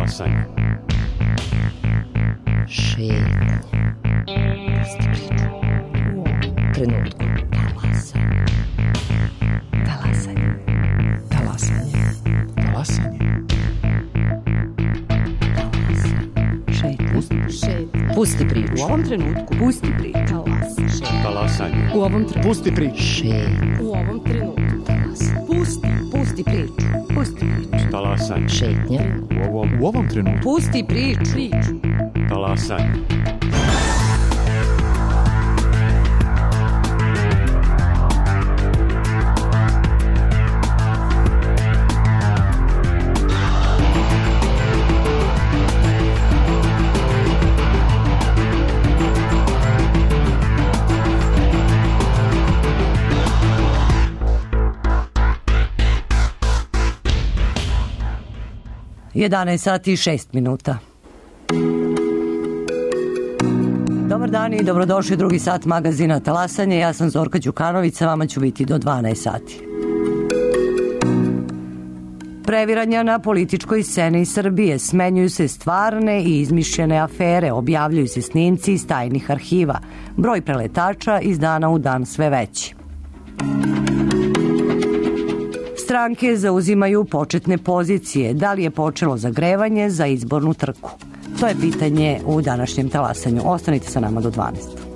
Talasanje. Šetnja. Pusti priču. U trenutku. Talasanje. Talasanje. Talasanje. Šetnja. Pusti priču. U ovom trenutku. Pusti priču. Talasanje. U ovom trenutku. Pusti priču. Šetnja. U ovom trenutku. Pusti priču. Pusti priču. Talasanje. Šetnja. U ovom trenutku. Pusti priču. Talasanje. Jedanaest sati i 6 minuta. Dobar dan i dobrodošli u drugi sat magazina Talasanje. Ja sam Zorka Đukanović, sa vama ću biti do 12 sati. Previranja na političkoj sceni Srbije, smenjuju se stvarne i izmišljene afere, objavljuju se snimci iz tajnih arhiva. Broj preletača iz dana u dan sve veći. Stranke zauzimaju početne pozicije. Da li je počelo zagrevanje za izbornu trku? To je pitanje u današnjem Talasanju. Ostanite sa nama do 12.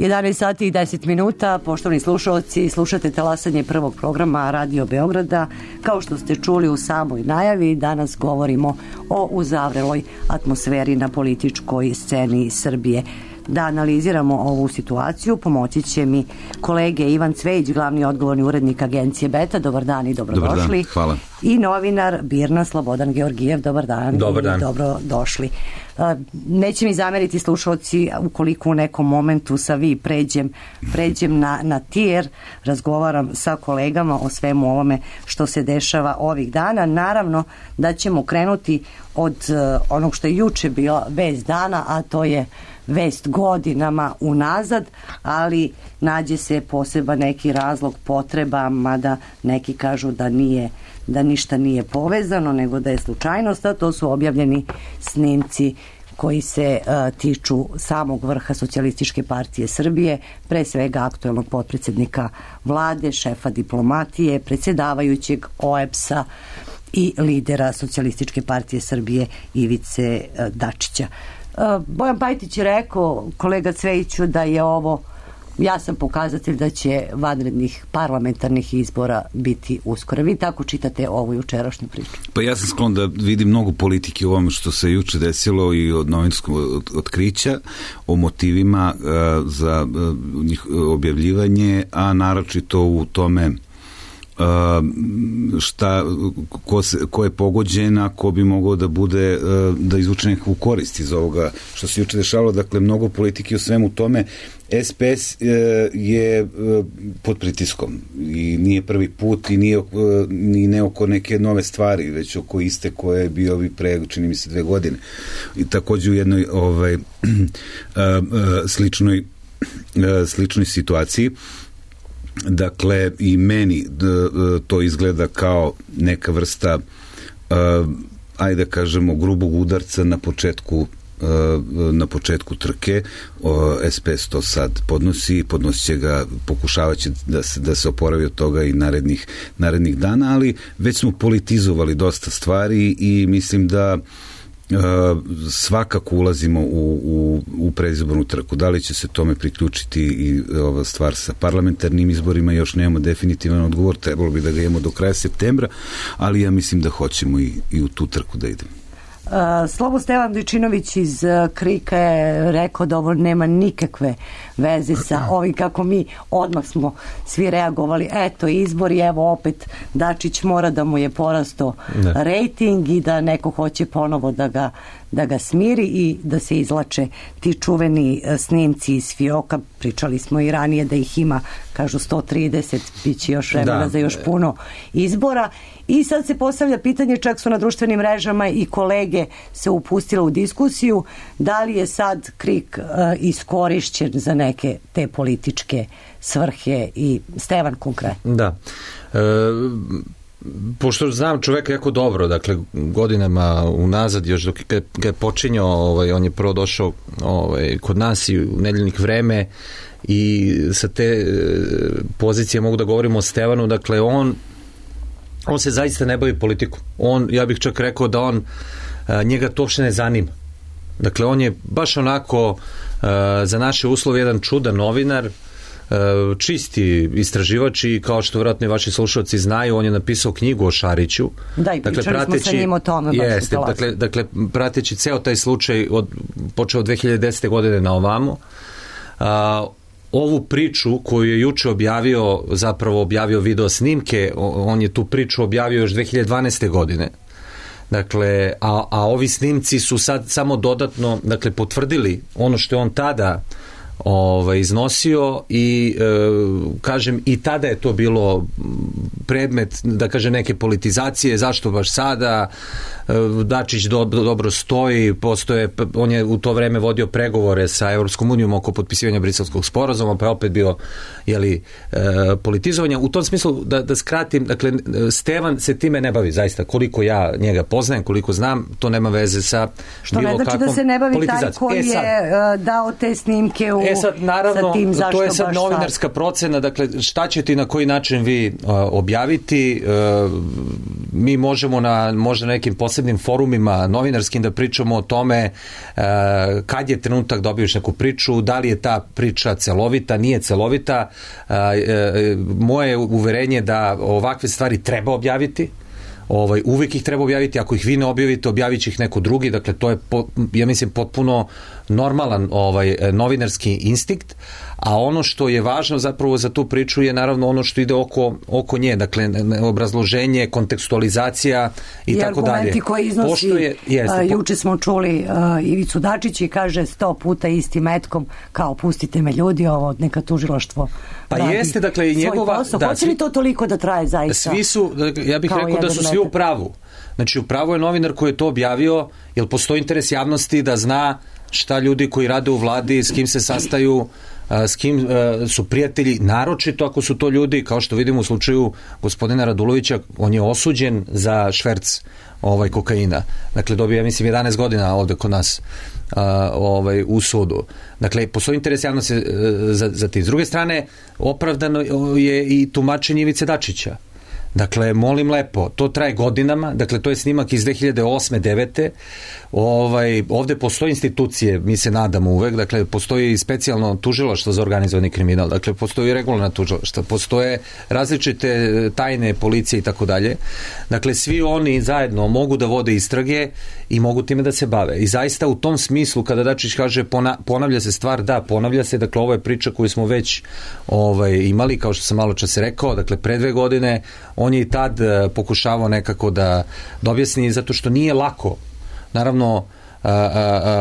11 sati i 10 minuta, poštovani slušalci, slušate talasanje prvog programa Radio Beograda. Kao što ste čuli u samoj najavi, danas govorimo o uzavreloj atmosferi na političkoj sceni Srbije. Da analiziramo ovu situaciju pomoći će mi kolege Ivan Cvejić, glavni odgovorni urednik agencije Beta. Dobar dan i dobrodošli. Dobar dan, hvala. I novinar BIRN-a Slobodan Georgijev. Dobar dan. Dobar dan. Dobrodošli. Neće mi zameriti slušalci ukoliko u nekom momentu sa vi pređem na tijer, razgovaram sa kolegama o svemu ovome što se dešava ovih dana. Naravno da ćemo krenuti od onog što je juče bila vest dana, a to je vest godinama unazad, ali nađe se poseban neki razlog, potreba, mada neki kažu da ništa nije povezano, nego da je slučajnost, a to su objavljeni snimci koji se tiču samog vrha Socijalističke partije Srbije, pre svega aktuelnog potpredsjednika vlade, šefa diplomatije, predsjedavajućeg OEBS-a i lidera Socijalističke partije Srbije Ivice Dačića. Bojan Pajtić je rekao, kolega Cvejiću, da je ovo jasan pokazatelj da će vanrednih parlamentarnih izbora biti uskoro. Vi tako čitate ovu jučerašnju priču? Pa ja sam sklon da vidim mnogo politike u ovome što se juče desilo i od novinskog otkrića, o motivima za njih objavljivanje, a naročito u tome ko je pogođen, a ko bi mogao da bude, da izvuče nekakvu korist iz ovoga što se juče dešavalo. Dakle, mnogo politike u svemu tome. SPS je pod pritiskom i nije prvi put i nije ne oko neke nove stvari, već oko iste koje je bio pre, čini mi se, 2 godine. I takođe u jednoj sličnoj situaciji. Dakle, i meni to izgleda kao neka vrsta, ajde da kažemo, grubog udarca na početku trke. SPS to sad podnosit će ga, pokušavat će da se oporavi od toga i narednih dana, ali već smo politizovali dosta stvari i mislim da svakako ulazimo u predizbornu trku. Da li će se tome priključiti i ova stvar sa parlamentarnim izborima, još nemamo definitivan odgovor, trebalo bi da ga imamo do kraja septembra, ali ja mislim da hoćemo i u tu trku da idemo. Slobo Stevan Dojčinović iz KRIK-a je rekao da ovo nema nikakve veze sa ovim kako mi odmah smo svi reagovali. Eto, izbori, evo opet Dačić mora da mu je porastao rejting i da neko hoće ponovo da ga smiri i da se izlače ti čuveni snimci iz fioka. Pričali smo i ranije da ih ima, kažu 130, bit će još vremena za još puno izbora. I sad se postavlja pitanje, čak su na društvenim mrežama i kolege se upustile u diskusiju, da li je sad KRIK iskorišćen za neke te političke svrhe i Stevan konkretno. Da. Pošto znam čoveka jako dobro, dakle godinama unazad, još dok je počinjao, on je prvo došao kod nas i u Nedeljnik Vreme i sa te pozicije mogu da govorimo o Stevanu, dakle on se zaista ne bavi politikom. Ja bih čak rekao da njega to uopšte ne zanima. Dakle, on je baš onako za naše uslove jedan čudan novinar, čisti istraživač i kao što vjerojatno i vaši slušalci znaju, on je napisao knjigu o Šariću. Da, i pričali smo sa njim o tome. Dakle, prateći ceo taj slučaj počeo od 2010. godine na ovamo, ovu priču koju je juče objavio video snimke, on je tu priču objavio još 2012. godine. Dakle, a ovi snimci su sad samo dodatno, dakle, potvrdili ono što je on tada iznosio i kažem, i tada je to bilo predmet, da kažem, neke politizacije, zašto baš sada, Dačić dobro stoji, on je u to vreme vodio pregovore sa Evropskom unijom oko potpisivanja Briselskog sporazuma, pa je opet bio politizovanja. U tom smislu, da skratim, dakle, Stevan se time ne bavi, zaista, koliko ja njega poznajem, koliko znam, to nema veze sa što bilo kakvom politizacijom. Što ne znači da se ne bavi taj koji je dao te snimke sad, naravno, to je sad novinarska procena, dakle, šta ćete i na koji način vi objaviti, mi možemo možda na nekim posebnim forumima novinarskim da pričamo o tome kad je trenutak da objaviš neku priču, da li je ta priča celovita, nije celovita. Moje uverenje da ovakve stvari treba objaviti, uvijek ih treba objaviti, ako ih vi ne objavite, objavit će ih neko drugi, dakle to je, ja mislim, potpuno normalan novinarski instinkt, a ono što je važno zapravo za tu priču je naravno ono što ide oko nje, dakle obrazloženje, kontekstualizacija i tako dalje. I argumenti koji iznosi, juče smo čuli Ivicu Dačića i kaže 100 puta istim metkom, kao pustite me ljudi, ovo neka tužilaštvo radi jeste, dakle, i njegova, svoj posao. Hoće li to toliko da traje zaista? Svi su, ja bih rekao da su svi u pravu. Znači u pravu je novinar koji je to objavio, jer postoji interes javnosti da zna šta ljudi koji rade u vladi, s kim se sastaju, s kim su prijatelji, naročito ako su to ljudi, kao što vidimo u slučaju gospodina Radulovića, on je osuđen za šverc kokaina. Dakle, dobio, ja mislim, 11 godina ovde kod nas u sudu. Dakle, postoji interes javnosti za ti. S druge strane, opravdano je i tumačenje Ivice Dačića. Dakle, molim lepo, to traje godinama, dakle, to je snimak iz 2008. 2009. Ovde postoje institucije, mi se nadamo uvek, dakle, postoji i specijalno tužilaštvo za organizovani kriminal, dakle, postoji i regularna tužilaštva, postoje različite tajne policije i tako dalje. Dakle, svi oni zajedno mogu da vode istrage i mogu time da se bave. I zaista u tom smislu, kada Dačić kaže ponavlja se stvar, da, ponavlja se, dakle, ovo je priča koju smo već imali, kao što sam malo čas rekao, dakle, pre 2 godine, on je i tad pokušavao nekako da objasni, zato što nije lako, naravno,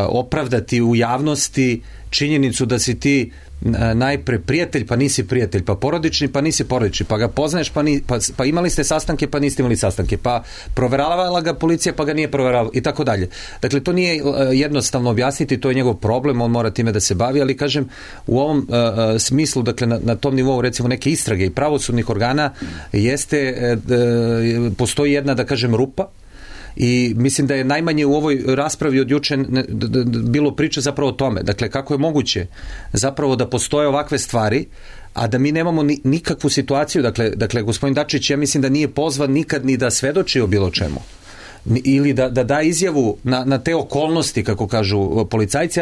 opravdati u javnosti činjenicu da si ti najpre prijatelj, pa nisi prijatelj, pa porodični, pa nisi porodični, pa ga poznaješ, pa imali ste sastanke, pa niste imali sastanke, pa proveravala ga policija, pa ga nije proveravala i tako dalje. Dakle, to nije jednostavno objasniti, to je njegov problem, on mora time da se bavi, ali kažem, u ovom smislu, dakle, na tom nivou, recimo, neke istrage i pravosudnih organa postoji jedna, da kažem, rupa, i mislim da je najmanje u ovoj raspravi od juče bilo priče zapravo o tome. Dakle, kako je moguće zapravo da postoje ovakve stvari, a da mi nemamo nikakvu situaciju. Dakle, gospodin Dačić, ja mislim da nije pozvan nikad ni da svedoči o bilo čemu. Ili da izjavu na te okolnosti, kako kažu policajci,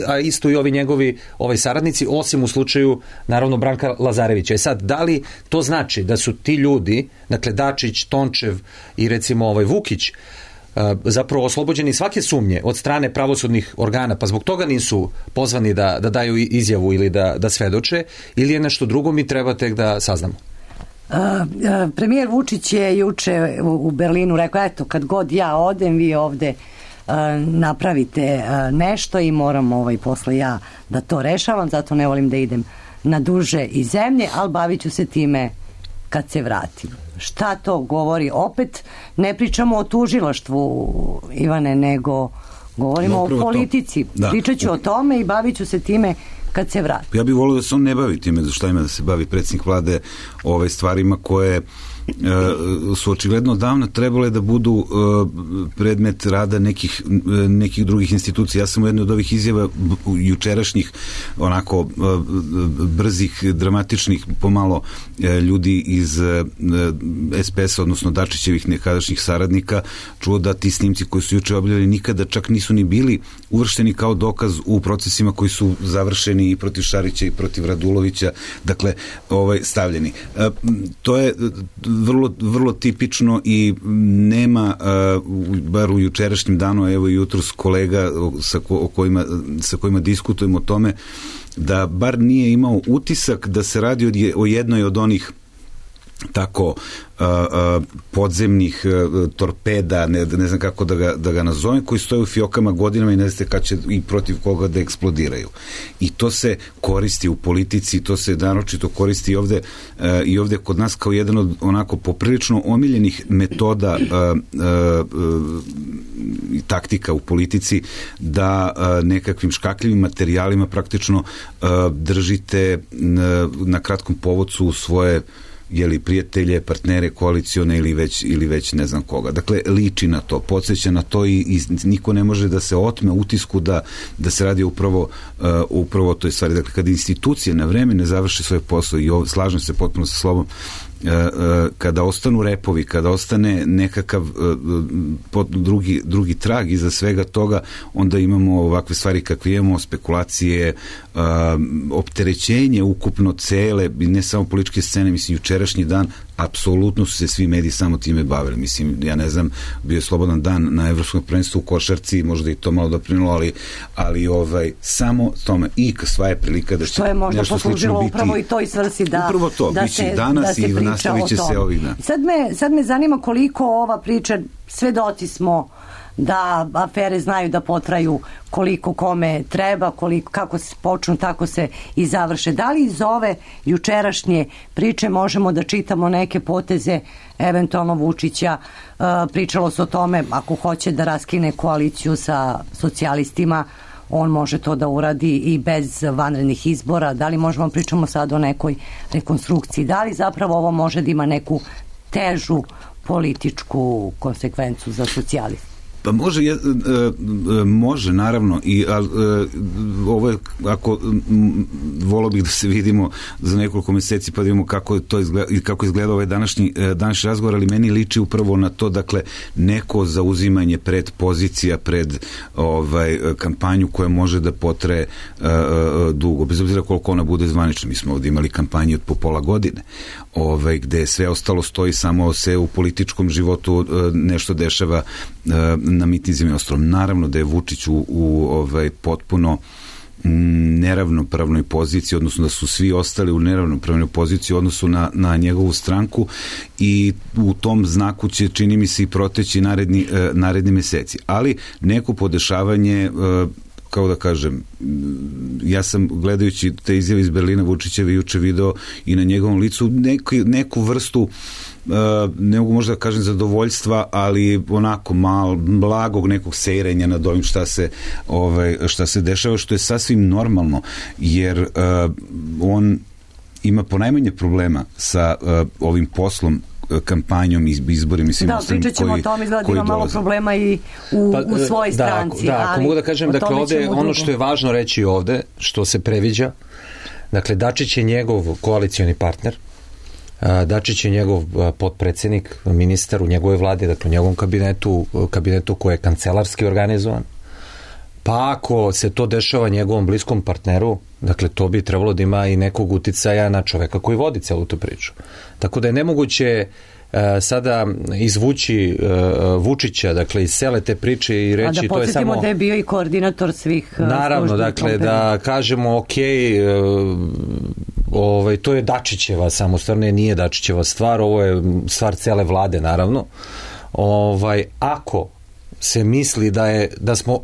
a isto i ovi njegovi saradnici, osim u slučaju, naravno, Branka Lazarevića. Sad, da li to znači da su ti ljudi, dakle Dačić, Tončev i recimo Vukić, zapravo oslobođeni svake sumnje od strane pravosudnih organa, pa zbog toga nisu pozvani da daju izjavu ili da svedoče, ili je nešto drugo, mi treba tek da saznamo? Premijer Vučić je juče u Berlinu rekao, eto, kad god ja odem, vi ovde napravite nešto i moram posle ja da to rešavam, zato ne volim da idem na duže iz zemlje, ali bavit ću se time kad se vratim. Šta to govori? Opet ne pričamo o tužilaštvu, Ivane, nego govorimo o politici. Pričat ću o tome i bavit ću se time kad se vrati. Ja bih volio da se on ne bavi time, za šta ima da se bavi predsjednik vlade stvarima koje su očigledno davno trebale da budu predmet rada nekih drugih institucija. Ja sam u jednoj od ovih izjava jučerašnjih, onako brzih, dramatičnih, pomalo ljudi iz SPS-a, odnosno Dačićevih nekadašnjih saradnika, čuo da ti snimci koji su juče objavljeni nikada čak nisu ni bili uvršteni kao dokaz u procesima koji su završeni i protiv Šarića i protiv Radulovića, dakle, stavljeni. To je vrlo tipično i nema, bar u jučerašnjem danu, evo i jutros kolega sa kojima diskutujemo o tome, da bar nije imao utisak da se radi o jednoj od onih tako podzemnih torpeda, ne znam kako da ga nazovem, koji stoje u fiokama godinama i ne znate kad će i protiv koga da eksplodiraju. I to se koristi u politici, to se naročito koristi i ovde kod nas kao jedan od onako poprilično omiljenih metoda i taktika u politici, da nekakvim škakljivim materijalima praktično držite na kratkom povodcu svoje prijatelje, partnere, koalicione ili već ne znam koga. Dakle, liči na to, podsjeća na to i niko ne može da se otme utisku da se radi upravo toj stvari. Dakle, kada institucije na vreme ne završe svoj posao, i slažem se potpuno sa slobom, kada ostanu repovi, kada ostane nekakav drugi trag iza svega toga, onda imamo ovakve stvari kakve imamo, spekulacije, opterećenje ukupno cele, ne samo političke scene, mislim, jučerašnji dan apsolutno su se svi mediji samo time bavili. Mislim, ja ne znam, bio je slobodan dan na Evropskom prvenstvu u košarci, možda i to malo doprinulo, ali samo tome i sva je prilika da će nešto slično biti. To je možda poslužilo upravo i toj svrsi upravo to, da biće danas i nastavit će se ovih dana. Sad me zanima koliko ova priča, svedoci smo da afere znaju da potraju koliko kome treba, kako se počnu, tako se i završe. Da li iz ove jučerašnje priče možemo da čitamo neke poteze eventualno Vučića? Pričalo se o tome, ako hoće da raskine koaliciju sa socijalistima, on može to da uradi i bez vanrednih izbora. Da li možemo pričamo sad o nekoj rekonstrukciji? Da li zapravo ovo može da ima neku težu političku konsekvencu za socijaliste? Pa može naravno, ovo je, ako volio bih da se vidimo za nekoliko meseci pa da vidimo kako izgleda ovaj današnji razgovor, ali meni liči upravo na to, dakle, neko zauzimanje pred pozicija, pred kampanju koja može da potraje dugo, bez obzira koliko ona bude zvanična. Mi smo ovdje imali kampanju od po pola godine, gde sve ostalo stoji, samo se u političkom životu nešto dešava na mitinzima i ostalom. Naravno da je Vučić u potpuno neravnopravnoj poziciji, odnosno da su svi ostali u neravnopravnoj poziciji u odnosu na njegovu stranku, i u tom znaku će, čini mi se, i proteći naredni meseci. Ali neko podešavanje, kao da kažem, ja sam gledajući te izjave iz Berlina Vučićeve juče video i na njegovom licu neku vrstu, ne mogu možda da kažem zadovoljstva, ali onako blagog nekog sejrenja nad ovim šta se dešava, što je sasvim normalno, jer on ima ponajmanje problema sa ovim poslom, kampanjom, izborima. Da, pričat ćemo o tom, izgleda ima malo problema i u svojoj stranci. Da, ako mogu da kažem, dakle, ovde ono što je važno reći ovde, što se previđa, dakle, Dačić je njegov koalicioni partner, Dačić je njegov potpredsednik, ministar u njegovoj vladi, dakle u njegovom kabinetu koji je kancelarski organizovan. Pa ako se to dešava njegovom bliskom partneru, dakle to bi trebalo da ima i nekog uticaja na čoveka koji vodi celu tu priču. Tako da je nemoguće sada izvući Vučića, dakle iz cele te priče i reći to je samo... A da podsjetimo da je bio i koordinator svih naravno, dakle da kažemo ok, to je Dačićeva samo stvar, nije Dačićeva stvar, ovo je stvar cele vlade, naravno. Ako se misli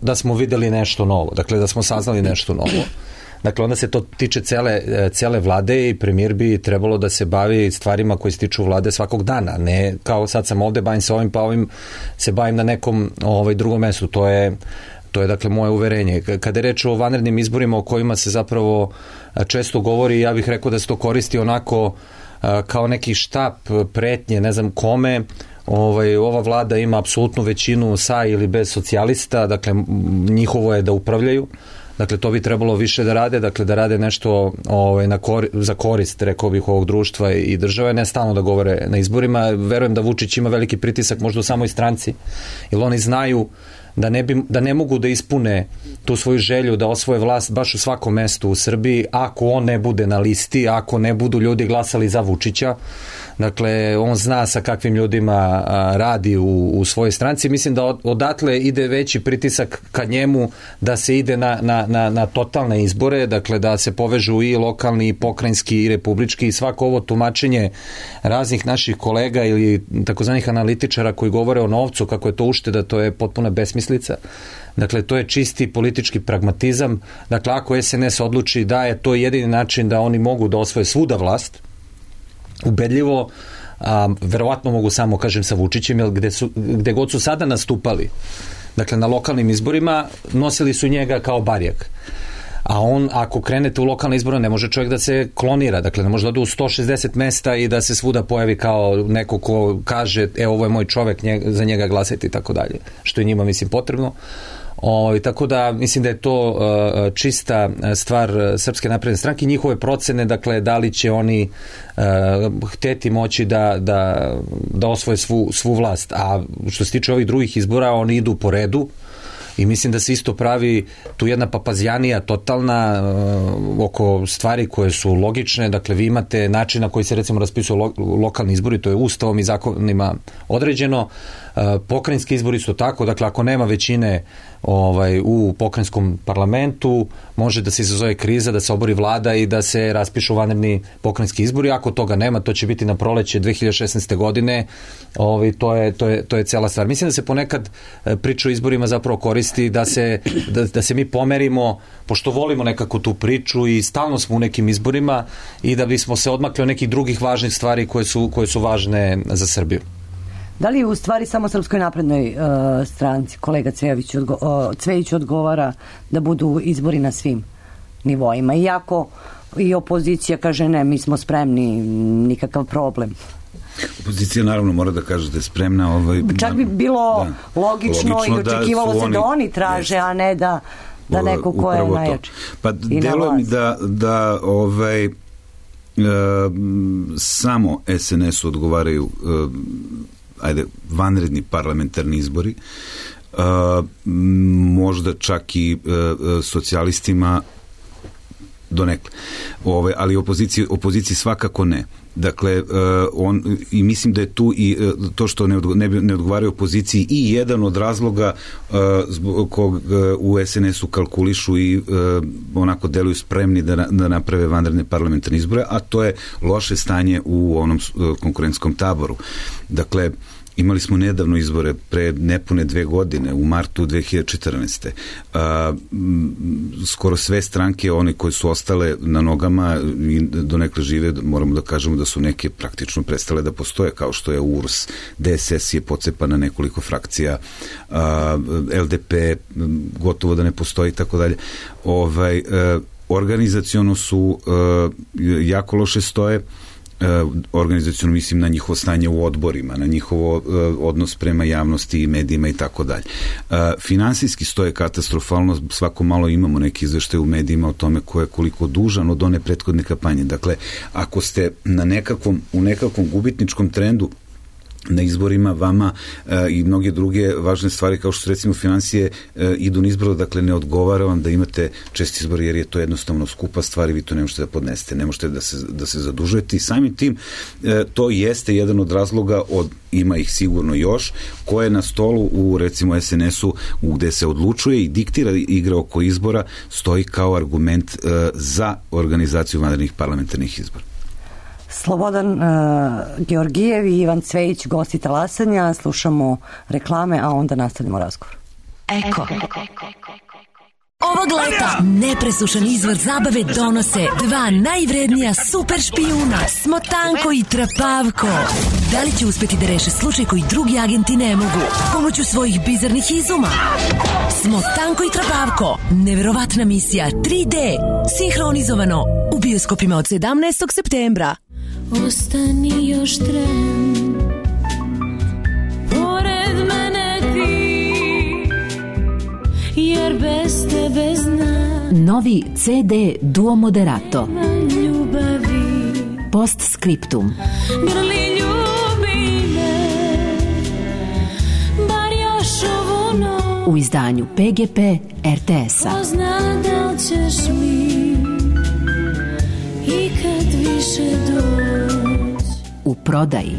da smo videli nešto novo, dakle da smo saznali nešto novo, dakle onda se to tiče cele vlade i premijer bi trebalo da se bavi stvarima koje se tiču vlade svakog dana, ne kao sad sam ovde, bavim se ovim, pa ovim se bavim na nekom drugom mestu. To je dakle moje uverenje. Kada je reč o vanrednim izborima o kojima se zapravo često govori, ja bih rekao da se to koristi onako kao neki štap pretnje, ne znam kome. Ova vlada ima apsolutnu većinu sa ili bez socijalista, dakle njihovo je da upravljaju, dakle to bi trebalo više da rade, dakle da rade nešto za korist, rekao bih, ovog društva i države, ne stalno da govore na izborima. Verujem da Vučić ima veliki pritisak možda u samoj stranci, jer oni znaju da ne mogu da ispune tu svoju želju da osvoje vlast baš u svakom mestu u Srbiji ako on ne bude na listi, ako ne budu ljudi glasali za Vučića. Dakle, on zna sa kakvim ljudima radi u svojoj stranci. Mislim da odatle ide veći pritisak ka njemu da se ide na totalne izbore, dakle da se povežu i lokalni, i pokrajinski, i republički, i svako ovo tumačenje raznih naših kolega ili takozvanih analitičara koji govore o novcu, kako je to ušteda, to je potpuna besmislica. Dakle, to je čisti politički pragmatizam. Dakle, ako SNS odluči da je to jedini način da oni mogu da osvoje svuda vlast, ubedljivo, verovatno mogu samo, kažem, sa Vučićem, jer gde god su sada nastupali, dakle na lokalnim izborima, nosili su njega kao barjak. A on, ako krenete u lokalne izbore, ne može čovjek da se klonira, dakle ne može da ode u 160 mesta i da se svuda pojavi kao neko ko kaže, ovo je moj čovjek, za njega glasajte i tako dalje, što je njima, mislim, potrebno. Tako da mislim da je to čista stvar Srpske napredne stranke, njihove procene, dakle da li će oni hteti moći da osvoje svu vlast. A što se tiče ovih drugih izbora, oni idu po redu i mislim da se isto pravi tu jedna papazjanija totalna oko stvari koje su logične. Dakle, vi imate način na koji se recimo raspisuju lokalni izbori, to je ustavom i zakonima određeno. Pokrajinski izbori su tako, dakle ako nema većine u pokrajinskom parlamentu, može da se izazove kriza, da se obori vlada i da se raspišu vanredni pokrajinski izbori. Ako toga nema, to će biti na proleće 2016. godine. To je cela stvar. Mislim da se ponekad priča o izborima zapravo koristi da se mi pomerimo, pošto volimo nekako tu priču i stalno smo u nekim izborima, i da bismo se odmakli od nekih drugih važnih stvari koje su važne za Srbiju. Da li u stvari samo Srpskoj naprednoj stranci, kolega Cvejić odgovara da budu izbori na svim nivoima? Iako i opozicija kaže ne, mi smo spremni, nikakav problem. Opozicija naravno mora da kaže da je spremna. Čak bi bilo logično i očekivalo se da oni traže, a ne da neko ko je najjači. Pa delo mi da samo SNS-u odgovaraju vanredni parlamentarni izbori, možda čak i socijalistima donekle, ali opoziciji svakako ne. Dakle, i mislim da je tu i to što ne odgovaraju opoziciji i jedan od razloga zbog kog u SNS-u kalkulišu i onako deluju spremni da naprave vanredne parlamentarne izbore, a to je loše stanje u onom konkurentskom taboru. Dakle, imali smo nedavno izbore pre nepune 2 godine, u martu 2014. Skoro sve stranke, one koje su ostale na nogama i donekle žive, moramo da kažemo da su neke praktično prestale da postoje, kao što je URS, DSS je pocepan na nekoliko frakcija, LDP gotovo da ne postoji, tako dalje. Organizaciono su jako loše stoje. Organizaciono mislim na njihovo stanje u odborima, na njihovo odnos prema javnosti i medijima i tako dalje. Finansijski stoje katastrofalno, svako malo imamo neki izveštaj u medijima o tome ko je koliko dužan od one prethodne kampanje. Dakle, ako ste u nekakvom gubitničkom trendu na izborima, vama i mnoge druge važne stvari kao što su recimo finansije idu na izbor, dakle ne odgovara vam da imate česti izbor, jer je to jednostavno skupa stvar i vi to ne možete da podnesete, ne možete da se zadužujete, i samim tim to jeste jedan od razloga, ima ih sigurno još, koje na stolu u recimo SNS-u gde se odlučuje i diktira igra oko izbora, stoji kao argument za organizaciju vanrednih parlamentarnih izbora. Slobodan Georgijev i Ivan Cvejić, gosti Talasanja. Slušamo reklame, a onda nastavljamo razgovor. Eko. Ovog leta nepresušan izvor zabave donose 2 najvrednija super špijuna, Smotanko i Trapavko. Da li će uspeti da reše slučaj koji drugi agenti ne mogu pomoću svojih bizarnih izuma? Smotanko i Trapavko, neverovatna misija 3D, sinhronizovano u bioskopima od 17. septembra. Ostani još tren, pored mene ti, jer bez tebe znam. Novi CD Duo Moderato. Ljubavi. Postscriptum. Grli ljubi me, bar još ovu noć. U izdanju PGP RTS-a. Ko zna da li ćeš mi ikad više doći. U prodaji.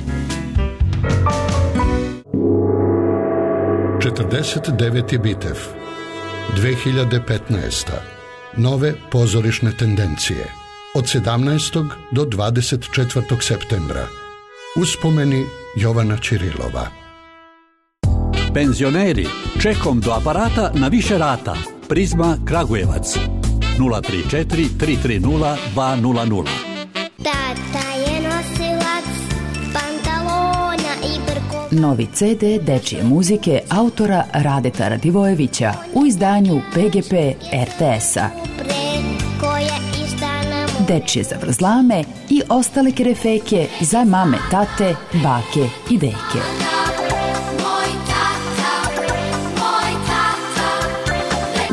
49. Bitev 2015. Nove pozorišne tendencije od 17. do 24. septembra. Uspomeni Jovana Ćirilova. Penzioneri, čekom do aparata na više rata. Prizma Kragujevac 034 330 200. Tata je nosilac pantalona i brko. Novi CD dečije muzike autora Radeta Radivojevića u izdanju PGP RTS-a. Dečije zavrzlame i ostale kerefeke za mame, tate, bake i deke.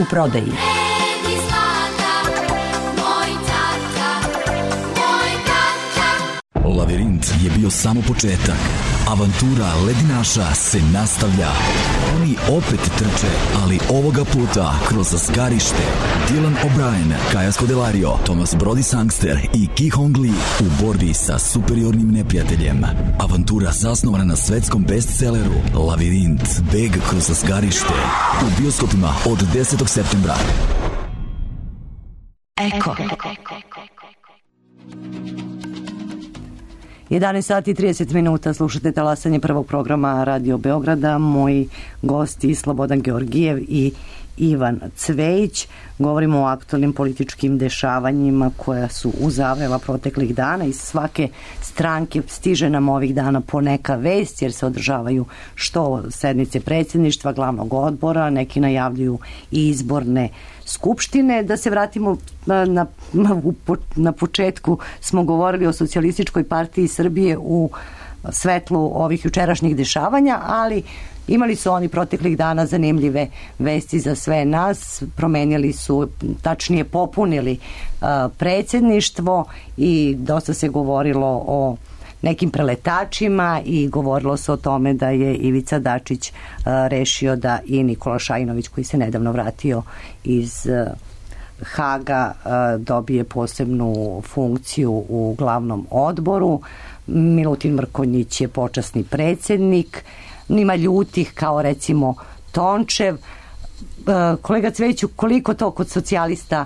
u prodaji. Lavirint je bio samo početak. Avantura ledinaša se nastavlja. Oni opet trče, ali ovoga puta kroz zgarište. Dylan O'Brien, Kaja Scodelario, Thomas Brody Sangster i Ki Hong Lee u borbi sa superiornim neprijateljem. Avantura zasnovana na svetskom bestselleru Lavirint, beg kroz zgarište. U bioskopima od 10. septembra. Eko. 11 sati i 30 minuta, slušate talasanje prvog programa Radio Beograda. Moji gosti Slobodan Georgijev i Ivan Cvejić. Govorimo o aktualnim političkim dešavanjima koja su uzavrela proteklih dana. Iz svake stranke stiže nam ovih dana po neka vest, jer se održavaju što sednice predsjedništva, glavnog odbora, neki najavljuju i izborne skupštine. Da se vratimo na početku, smo govorili o Socijalističkoj partiji Srbije u svetlu ovih jučerašnjih dešavanja, ali imali su oni proteklih dana zanimljive vesti za sve nas. Promenili su, tačnije popunili predsjedništvo i dosta se govorilo o nekim preletačima i govorilo se o tome da je Ivica Dačić rešio da i Nikola Šajinović, koji se nedavno vratio iz Haga, dobije posebnu funkciju u glavnom odboru. Milutin Mrkonjić je počasni predsjednik. Nima ljutih kao recimo Tončev. Kolega Cvejiću, koliko to kod socijalista,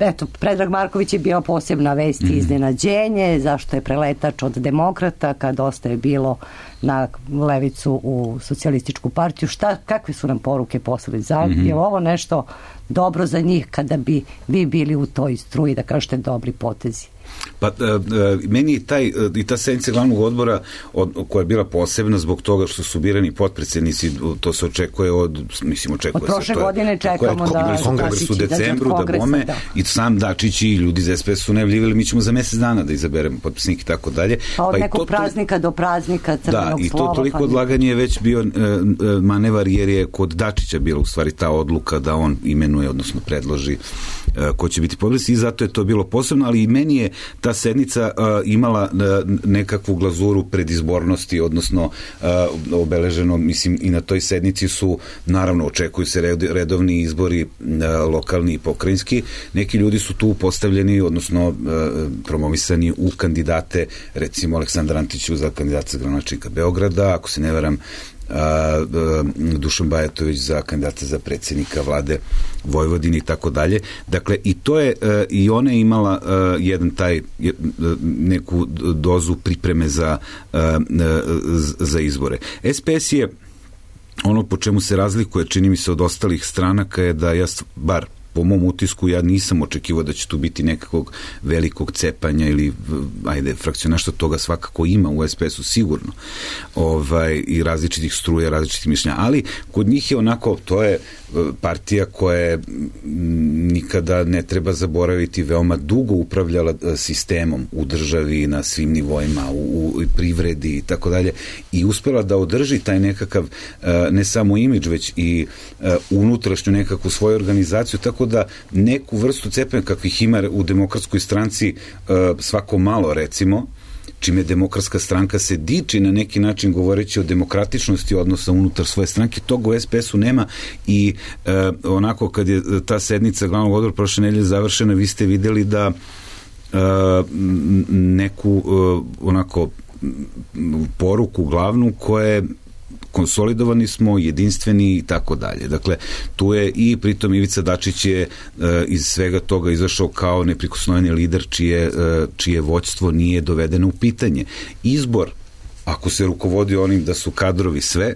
eto, Predrag Marković je bio posebna vest i iznenađenje, zašto je preletač od demokrata kad dosta je bilo na levicu u socijalističku partiju. Kakve su nam poruke poslali? Je ovo nešto dobro za njih kada bi vi bili u toj struji, da kažete dobri potezi? Pa meni i ta sednica glavnog odbora koja je bila posebna zbog toga što su birani potpredsjednici, to se očekuje od prošle godine čekamo da kongres u decembru, da bome, i sam Dačić i ljudi iz SPS su najavljivali, mi ćemo za mjesec dana da izaberemo potpisnike i tako dalje. Pa od nekog praznika do praznika crvenog slova. Da, i to toliko odlaganje je već bio manevar, jer je kod Dačića bila u stvari ta odluka da on imenuje, odnosno predloži ko će biti potpisnik, i zato je to bilo posebno, ali i meni je ta sednica imala nekakvu glazuru predizbornosti, odnosno obeleženo, mislim, i na toj sednici su, naravno, očekuju se redovni izbori lokalni i pokrajinski. Neki ljudi su tu postavljeni, odnosno promovisani u kandidate, recimo Aleksandar Antić za kandidata za gradonačelnika Beograda, ako se ne varam, Dušan Bajatović za kandidata za predsjednika vlade Vojvodine i tako dalje. Dakle, i to je, i ona je imala neku dozu pripreme za izbore. SPS je ono po čemu se razlikuje, čini mi se, od ostalih stranaka, je da bar po mom utisku, ja nisam očekivao da će tu biti nekakvog velikog cepanja ili, frakcionaštva, toga svakako ima u SPS-u sigurno, i različitih struja, različitih mišljenja, ali kod njih je onako, to je partija koja je, nikada ne treba zaboraviti, veoma dugo upravljala sistemom u državi na svim nivoima, u privredi i tako dalje, i uspela da održi taj nekakav, ne samo imidž, već i unutrašnju nekakvu svoju organizaciju, tako da neku vrstu cepanja kakvih ima u Demokratskoj stranci svako malo, recimo, čime Demokratska stranka se diči na neki način govoreći o demokratičnosti odnosa unutar svoje stranke, toga u SPS-u nema. I onako kad je ta sednica glavnog odbora prošle nedelje završena, vi ste vidjeli da neku onako poruku glavnu koja je konsolidovani smo, jedinstveni i tako dalje. Dakle, tu je i pritom Ivica Dačić je iz svega toga izašao kao neprikosnoveni lider čije vođstvo nije dovedeno u pitanje. Izbor, ako se rukovodi onim da su kadrovi sve,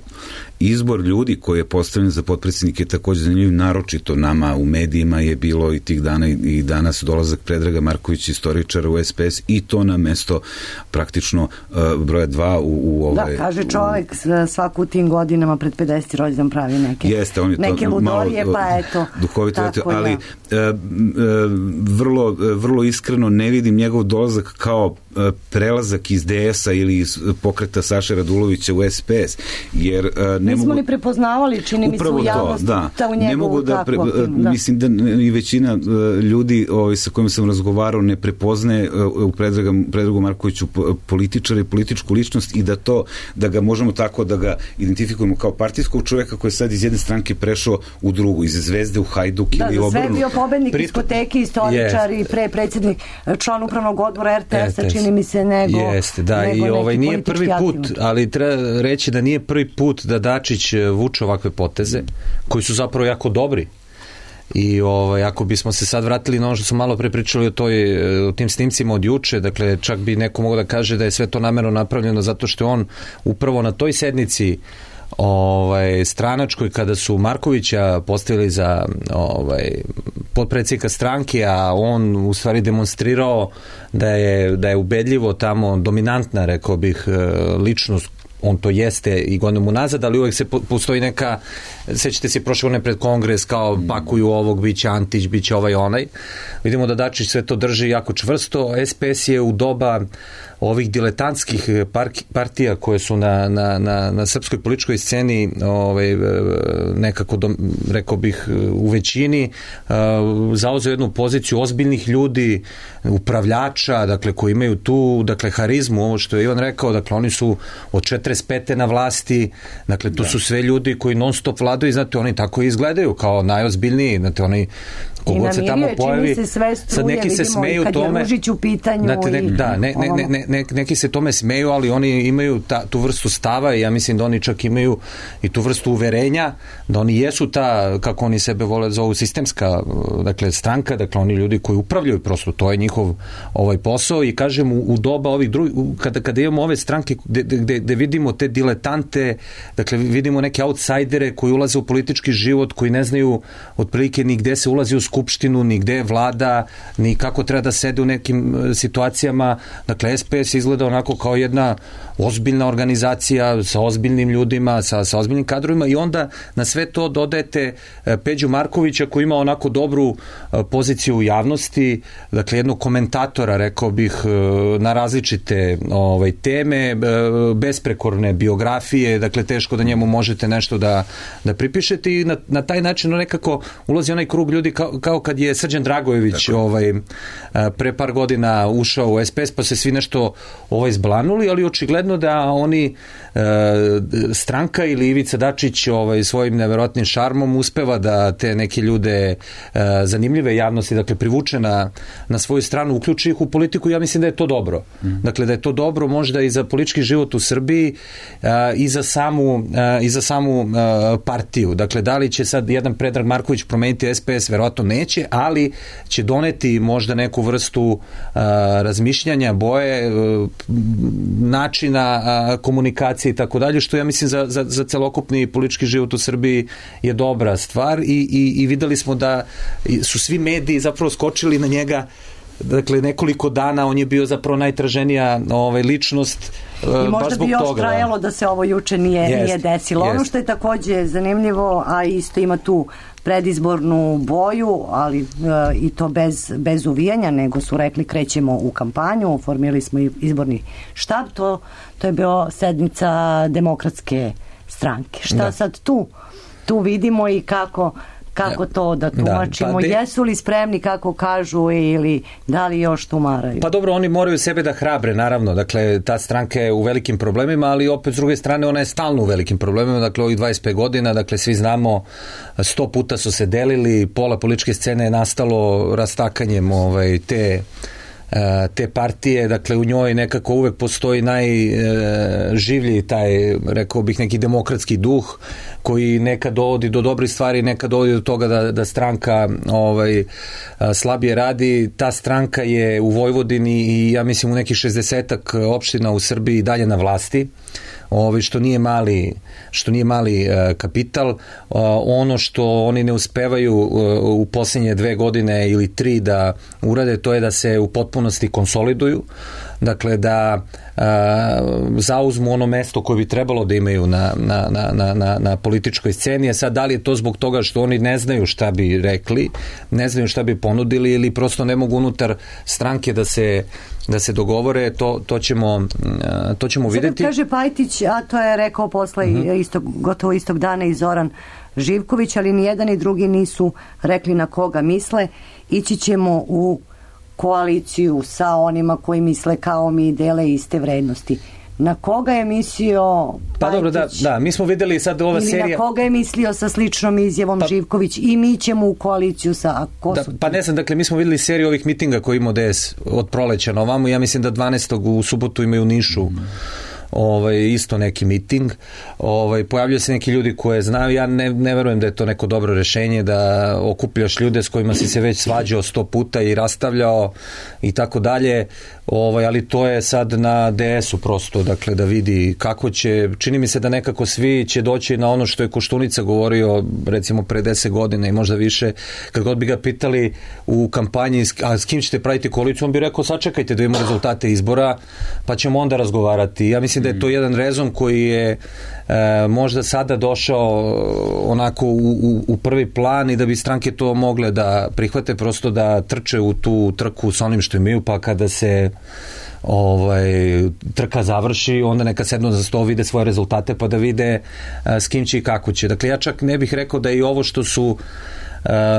izbor ljudi koji je postavljen za potpredsjednike je također zanimljiv, naročito nama u medijima je bilo i tih dana i danas dolazak Predraga Markovića, istoričara u SPS, i to na mesto praktično broja 2 u ovaj... Da, kaže čovjek svaku u tim godinama pred 50. rođendan pravi neke ludorije, pa eto. Duhovito, ali vrlo iskreno ne vidim njegov dolazak kao prelazak iz DS-a ili iz pokreta Saše Radulovića u SPS, jer nismo ni prepoznavali, čini mi se u javnosti ta u njegovu takvu. Mislim da i većina ljudi sa kojima sam razgovarao ne prepoznaje u Predragu Markoviću političara i političku ličnost i da ga možemo tako da ga identifikujemo kao partijskog čoveka koji je sad iz jedne stranke prešao u drugu, iz Zvezde u Hajduk ili obrnu. Da, sve je bio pobednik diskoteke, istoričar i predsjednik, član upravnog odbora RTS-a, čini mi se, nego i nije prvi put, ali treba reći da nije prvi put da Dačić vuče ovakve poteze, koji su zapravo jako dobri. I ako bismo se sad vratili na ono što smo malo pre pričali o tim snimcima od juče, dakle čak bi neko mogao da kaže da je sve to namerno napravljeno zato što je on upravo na toj sednici stranačkoj, kada su Markovića postavili za potpredsjednika stranke, a on u stvari demonstrirao da je ubedljivo tamo dominantna, rekao bih, ličnost. On to jeste i godinama nazad, ali uvek postoji neka, sećate se prošle godine pred kongres, kao pakuju ovog, biće Antić, biće ovaj onaj. Vidimo da Dačić sve to drži jako čvrsto. SPS je u doba ovih diletantskih partija koje su na srpskoj političkoj sceni nekako, rekao bih, u većini zauzeo jednu poziciju ozbiljnih ljudi, upravljača, dakle, koji imaju tu, dakle, harizmu, ovo što je Ivan rekao, dakle, oni su od 45. na vlasti, dakle, to su sve ljudi koji non stop vladaju, znate, oni tako izgledaju kao najozbiljniji, znate, oni kogod se tamo pojavi, sad neki se smeju tome, neki se tome smeju, ali oni imaju tu vrstu stava i ja mislim da oni čak imaju i tu vrstu uverenja, da oni jesu ta, kako oni sebe vole zovu, sistemska, dakle, stranka, dakle, oni ljudi koji upravljaju, prosto to je njihov posao i kažem u doba ovih drugih, kada imamo ove stranke gde vidimo te diletante, dakle, vidimo neke outsidere koji ulaze u politički život, koji ne znaju otprilike ni gde se ulazi u skupštinu, ni gde je vlada, ni kako treba da sede u nekim situacijama. Dakle, SPS izgleda onako kao jedna ozbiljna organizacija sa ozbiljnim ljudima, sa ozbiljnim kadrovima i onda na sve to dodajete Peđu Markovića koji ima onako dobru poziciju u javnosti, dakle jednog komentatora, rekao bih, na različite teme, besprekorne biografije, dakle teško da njemu možete nešto da pripišete i na taj način nekako ulazi onaj krug ljudi kao kad je Srđan Dragojević pre par godina ušao u SPS, pa se svi nešto zblanuli, ali očigledno da oni, stranka ili Ivica Dačić svojim neverovatnim šarmom uspeva da te neke ljude zanimljive javnosti, dakle privuče na svoju stranu, uključi ih u politiku. Ja mislim da je to dobro. Dakle, da je to dobro možda i za politički život u Srbiji i za samu partiju. Dakle, da li će sad jedan Predrag Marković promeniti SPS? Verovatno neće, ali će doneti možda neku vrstu razmišljanja, boje, načina komunikacije i tako dalje, što ja mislim za celokupni politički život u Srbiji je dobra stvar i videli smo da su svi mediji zapravo skočili na njega. Dakle, nekoliko dana on je bio zapravo najtraženija ličnost baš zbog toga. I možda bi još trajalo da se ovo juče nije desilo. Ono što je takođe zanimljivo, a isto ima tu predizbornu boju, ali i to bez uvijanja, nego su rekli krećemo u kampanju, formirali smo izborni štab, to je bio sednica Demokratske stranke. Šta sad tu vidimo i kako to da tumačimo, jesu li spremni kako kažu ili da li još tumaraju? Pa dobro, oni moraju sebe da hrabre, naravno, dakle ta stranka je u velikim problemima, ali opet s druge strane ona je stalno u velikim problemima, dakle ovih 25 godina, dakle svi znamo, 100 puta su se delili, pola političke scene je nastalo rastakanjem te partije, dakle u njoj nekako uvek postoji najživlji taj, rekao bih, neki demokratski duh koji nekad dovodi do dobrih stvari, nekad dovodi do toga da stranka slabije radi. Ta stranka je u Vojvodini i ja mislim u nekih 60-ak opština u Srbiji dalje na vlasti, što nije mali kapital. Ono što oni ne uspevaju u posljednje 2 godine ili 3 da urade, to je da se u potpunosti konsoliduju. dakle da zauzmu ono mesto koje bi trebalo da imaju na političkoj sceni, a sad da li je to zbog toga što oni ne znaju šta bi rekli, ne znaju šta bi ponudili ili prosto ne mogu unutar stranke da se dogovore, to ćemo vidjeti. Kaže Pajtić, a to je rekao posle gotovo istog dana i Zoran Živković, ali ni jedan ni drugi nisu rekli na koga misle. Ići ćemo u koaliciju sa onima koji misle kao mi, dele iste vrednosti. Na koga je mislio Pajtić? Pa dobro, da, mi smo videli sad ova serija... Ili na koga je mislio sa sličnom izjavom Živković i mi ćemo u koaliciju sa... Pa ne znam, dakle, mi smo videli seriju ovih mitinga koji imao DS od proleća na ovamo, ja mislim da 12. u subotu imaju u Nišu isto neki miting, pojavljaju se neki ljudi koje znaju, ja ne verujem da je to neko dobro rešenje da okupljaš ljude s kojima si se već svađao 100 puta i rastavljao i tako dalje, ali to je sad na DS-u prosto, dakle da vidi kako će, čini mi se da nekako svi će doći na ono što je Koštunica govorio recimo pre 10 godina i možda više, kad god bi ga pitali u kampanji, a s kim ćete praviti koaliciju, on bi rekao sačekajte da imamo rezultate izbora pa ćemo onda razgovarati. Ja mislim da je to jedan rezon koji je možda sada došao onako u prvi plan i da bi stranke to mogle da prihvate, prosto da trče u tu trku s onim što imaju, pa kada se trka završi, onda neka sednu za sto, vide svoje rezultate pa da vide s kim će i kako će. Dakle, ja čak ne bih rekao da i ovo što su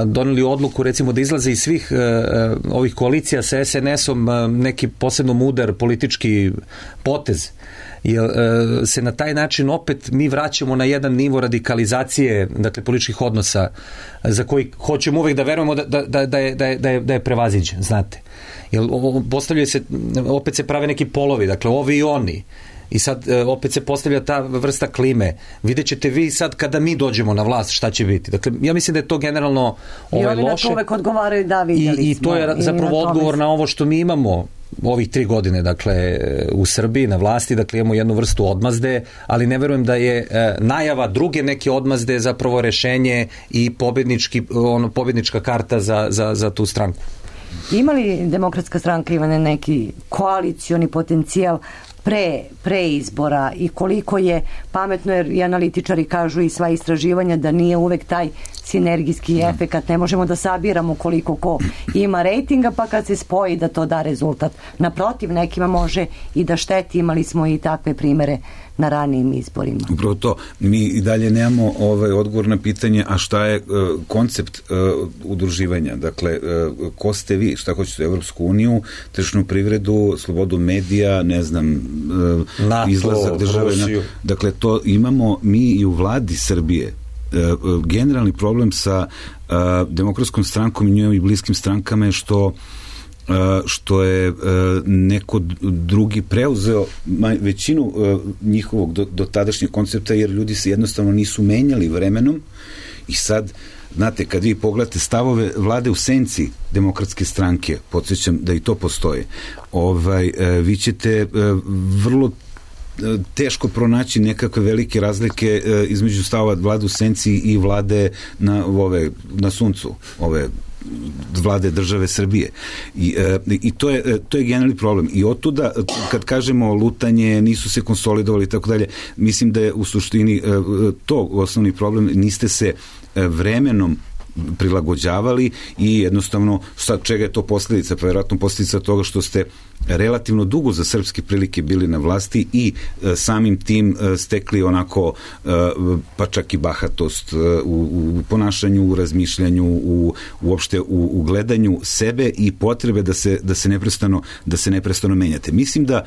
doneli odluku recimo da izlaze iz svih ovih koalicija sa SNS-om neki posebno mudar politički potez, jer se na taj način opet mi vraćamo na jedan nivo radikalizacije, dakle političkih odnosa za koji hoćemo uvek da verujemo da je prevaziđen, znate. Jer postavljaju se, opet se prave neki polovi, dakle ovi i oni. I sad opet se postavlja ta vrsta klime. Vidjet ćete vi sad kada mi dođemo na vlast šta će biti. Dakle, ja mislim da je to generalno loše. I oni na to uvek odgovaraju da vidjeli smo. I to je zapravo odgovor na ovo što mi imamo ovih 3 godine, dakle, u Srbiji na vlasti, dakle, imamo jednu vrstu odmazde, ali ne verujem da je najava druge neke odmazde zapravo rešenje i pobednička karta za tu stranku. Ima li Demokratska stranka, Ivane, neki koalicioni potencijal pre izbora i koliko je pametno, jer i analitičari kažu i sva istraživanja da nije uvek taj sinergijski efekat, ne možemo da sabiramo koliko ko ima rejtinga pa kad se spoji da to da rezultat. Naprotiv, nekima može i da šteti, imali smo i takve primere na ranijim izborima. Upravo to, mi i dalje nemamo odgovor na pitanje, a šta je koncept udruživanja, dakle, ko ste vi, šta hoćete, Evropsku uniju, tržišnu privredu, slobodu medija, ne znam, NATO, izlazak države, dakle, to imamo mi i u vladi Srbije. Generalni problem sa Demokratskom strankom i njoj bliskim strankama je što je neko drugi preuzeo većinu njihovog dotadašnjeg koncepta, jer ljudi se jednostavno nisu menjali vremenom i sad, znate, kad vi pogledate stavove vlade u senci Demokratske stranke, podsjećam da i to postoje, vi ćete vrlo teško pronaći nekakve velike između stavova vlade u senci i vlade na suncu, vlade države Srbije. I to je generalni problem. I otuda, kad kažemo lutanje, nisu se konsolidovali i tako dalje, mislim da je u suštini to osnovni problem, niste se vremenom prilagođavali i jednostavno sad čega je to posljedica? Pa vjerojatno posljedica toga što ste relativno dugo za srpske prilike bili na vlasti i samim tim stekli onako pa čak i bahatost u ponašanju, u razmišljanju, uopšte u gledanju sebe i potrebe da se neprestano menjate. Mislim da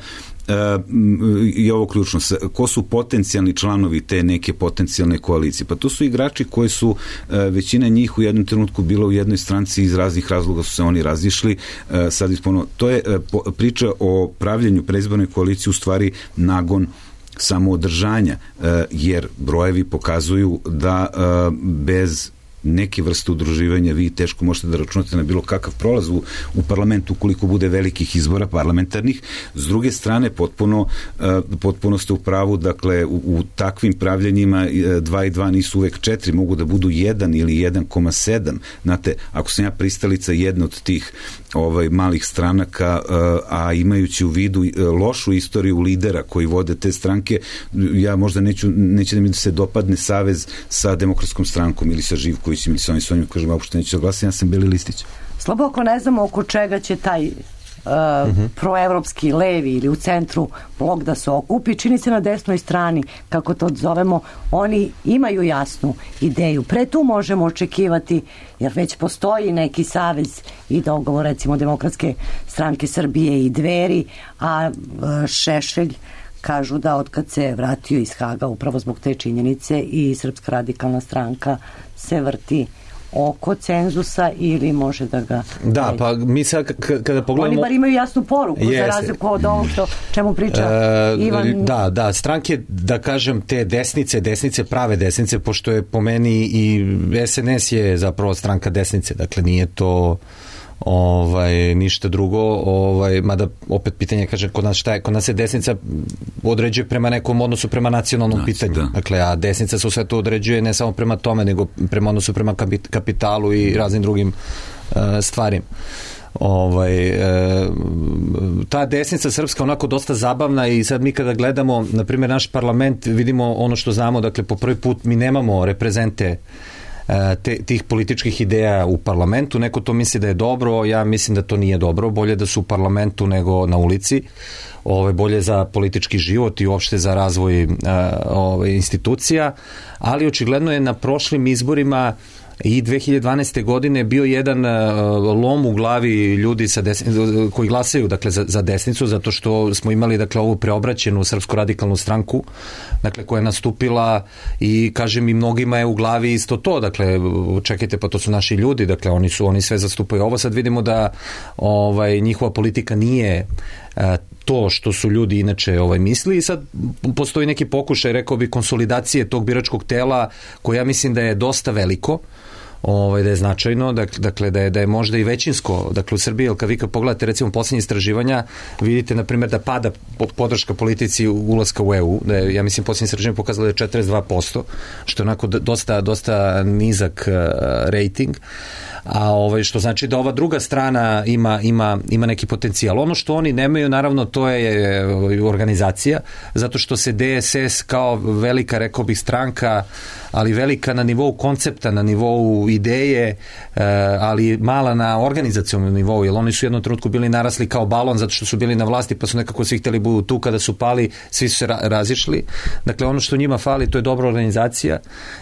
i ovo ključno, ko su potencijalni članovi te neke potencijalne koalicije? Pa to su igrači koji su, većina njih u jednom trenutku bila u jednoj stranci, iz raznih razloga su se oni razišli, sad isponovno, to je priča o pravljenju predizborne koalicije u stvari nagon samoodržanja, jer brojevi pokazuju da bez neke vrste udruživanja vi teško možete da računate na bilo kakav prolaz u parlamentu ukoliko bude velikih izbora parlamentarnih. S druge strane, potpuno ste u pravu, dakle, u takvim pravljenjima 2 i 2 nisu uvek 4, mogu da budu 1 ili 1,7. Znate, ako sam ja pristalica jedne od tih malih stranaka, a imajući u vidu lošu istoriju lidera koji vode te stranke, ja možda neće da mi se dopadne savez sa Demokratskom strankom ili sa Živkovićem ili sa onim svojim, kažem, uopšte neću da glasam, ja sam Beli listić. Slabo ako ne znamo oko čega će taj proevropski levi ili u centru blok da se okupi, čini se na desnoj strani, kako to zovemo, oni imaju jasnu ideju. Pre tu možemo očekivati, jer već postoji neki savez i dogovor, recimo Demokratske stranke Srbije i Dveri, a Šešelj kažu da otkad se vratio iz Haga upravo zbog te činjenice i Srpska radikalna stranka se vrti oko cenzusa ili može da ga... Da, pa mi sad kada pogledamo... Oni bar imaju jasnu poruku za razliku od ovog čemu priča Ivan... Da, stranke, da kažem, te desnice, prave desnice, pošto je po meni i SNS je zapravo stranka desnice, dakle nije to ništa drugo, mada opet pitanje, kaže, kod nas se desnica određuje prema nekom odnosu prema nacionalnom pitanju, dakle, a desnica se sve to određuje ne samo prema tome, nego prema odnosu prema kapitalu i raznim drugim stvarima. Ta desnica srpska onako dosta zabavna i sad mi kada gledamo, na primjer, naš parlament, vidimo ono što znamo, dakle, po prvi put mi nemamo reprezente tih političkih ideja u parlamentu. Neko to misli da je dobro, ja mislim da to nije dobro, bolje da su u parlamentu nego na ulici, bolje za politički život i uopšte za razvoj institucija, ali očigledno je na prošlim izborima i 2012. godine bio jedan lom u glavi ljudi koji glasaju, dakle, za desnicu, zato što smo imali, dakle, ovu preobraćenu Srpsku radikalnu stranku, dakle, koja je nastupila i, kažem, i mnogima je u glavi isto to, dakle, čekajte, pa to su naši ljudi, dakle, oni sve zastupaju ovo, sad vidimo da njihova politika nije to što su ljudi inače misli i sad postoji neki pokušaj, rekao bi, konsolidacije tog biračkog tela, koje ja mislim da je dosta veliko, da je značajno, dakle da je možda i većinsko, dakle u Srbiji, jer kad vi pogledate recimo posljednje istraživanja, vidite na primjer da pada podrška politici ulaska u EU, da je, ja mislim, posljednje istraživanje pokazalo da je 42%, što je onako dosta nizak rating, a što znači da ova druga strana ima neki potencijal. Ono što oni nemaju, naravno, to je organizacija, zato što se DSS kao velika, rekao bih, stranka, ali velika na nivou koncepta, na nivou ideje, ali mala na organizacionom nivou, jer oni su u jednom trenutku bili narasli kao balon zato što su bili na vlasti, pa su nekako svi htjeli budu tu, kada su pali, svi su se razišli. Dakle, ono što njima fali, to je dobra organizacija